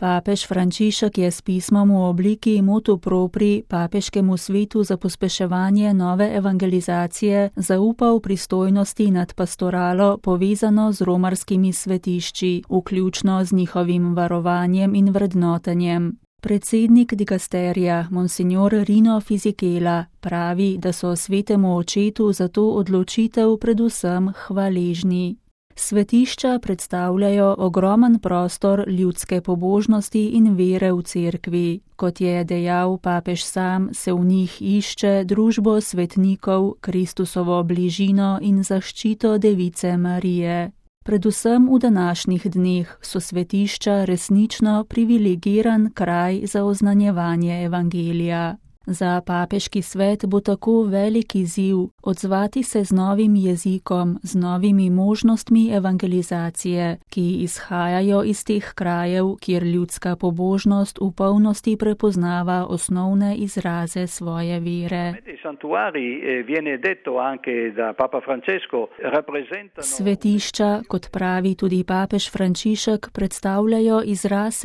Papež Frančišek je s pismom v obliki motu propri Papeškemu svetu za pospeševanje nove evangelizacije zaupal pristojnosti nad pastoralo povezano z romarskimi svetišči, vključno z njihovim varovanjem in vrednotenjem. Predsednik dikasterija, monsignor Rino Fisichella, pravi, da so svetemu očetu za to odločitev predvsem hvaležni. Svetišča predstavljajo ogromen prostor ljudske pobožnosti in vere v cerkvi. Kot je dejal papež sam, se v njih išče družbo svetnikov, Kristusovo bližino in zaščito Device Marije. Predvsem v današnjih dneh so svetišča resnično privilegiran kraj za oznanjevanje evangelija. Za papeški svet bo tako velik izziv odzvati se z novim jezikom, z novimi možnostmi evangelizacije, ki izhajajo iz teh krajev, kjer ljudska pobožnost v polnosti prepoznava osnovne izraze svoje vere. Svetišča, kot pravi tudi papež Frančišek, predstavljajo izraz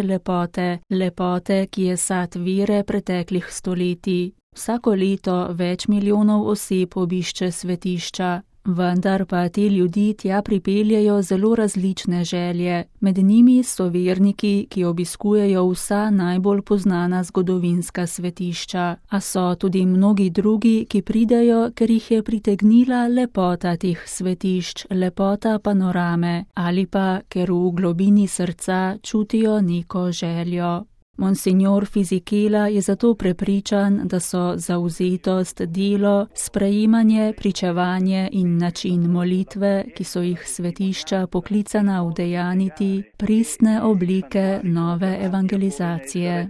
lepote, ki je sad vere preteklih stoletij. Vsako leto več milijonov oseb obišče svetišča, vendar pa te ljudi tja pripeljejo zelo različne želje. Med njimi so verniki, ki obiskujejo vsa najbolj poznana zgodovinska svetišča, a so tudi mnogi drugi, ki pridejo, ker jih je pritegnila lepota teh svetišč, lepota panorame, ali pa ker v globini srca čutijo neko željo. Monsignor Fisichella je zato prepričan, da so zavzetost, delo, sprejemanje, pričevanje in način molitve, ki so jih svetišča poklicana udejaniti, pristne oblike nove evangelizacije.